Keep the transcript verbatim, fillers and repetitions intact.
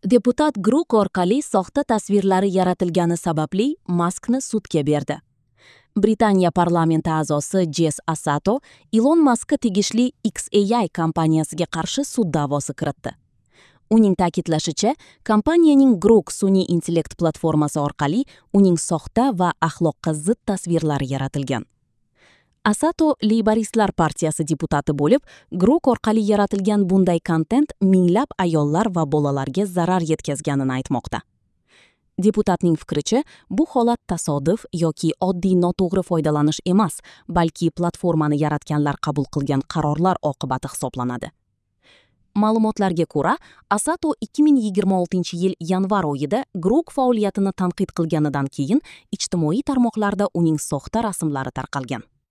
Deputat Grok orqali soxta tasvirlari yaratilgani sababli Maskni sudga berdi. Britaniya parlamenti a'zosi Jess Asato Ilon Maskka tegishli X A I kompaniyasiga qarshi sud da'vosi kiritdi. Uning ta'kidlashicha, kompaniyaning Grok sun'iy intellekt platformasi orqali uning soxta va axloqqa zid tasvirlari yaratilgan. Asato Leyboristlar partiyasi deputati bo'lib, Grok orqali yaratilgan bunday kontent minglab ayollar va bolalarga zarar yetkazganini aytmoqda. Deputatning fikricha, bu holat tasodif yoki oddiy noto'g'ri foydalanish emas, balki platformani yaratganlar qabul qilgan qarorlar oqibati hisoblanadi. Ma'lumotlarga ko'ra, Asato ikki ming yigirma oltinchi yil yanvar oyida Grok faoliyatini tanqid qilganidan keyin ijtimoiy tarmoqlarda uning soxta rasmlari tarqalgan.